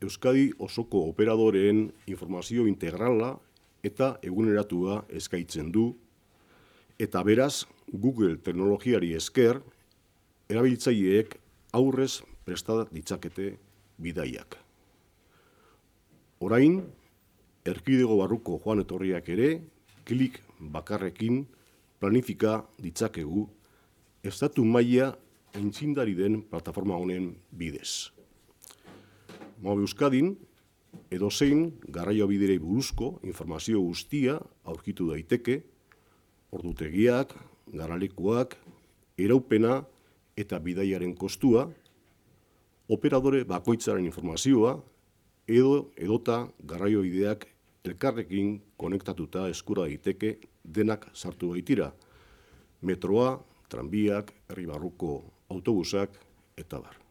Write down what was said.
Euskadi osoko operadoreen informazio integrala eta eguneratua eskaintzen du, eta beraz, Google teknologiari esker, erabiltzaileek aurrez presta ditzakete bidaiak. Orain, erkidego barruko joan etorriak ere, klik bakarrekin planifika ditzakegu estatu maila aintzindari den plataforma honen bidez. Mobe Euskadin, edozein garraiobideei buruzko informazio guztia aurkitu daiteke, ordutegiak, garalekuak, iraupena eta bidaiaren kostua, operadore bakoitzaren informazioa, edota garraiobideak elkarrekin konektatuta eskura daiteke denak sartu baitira. Metroa, tranbiak, herri barruko autobusak eta bar.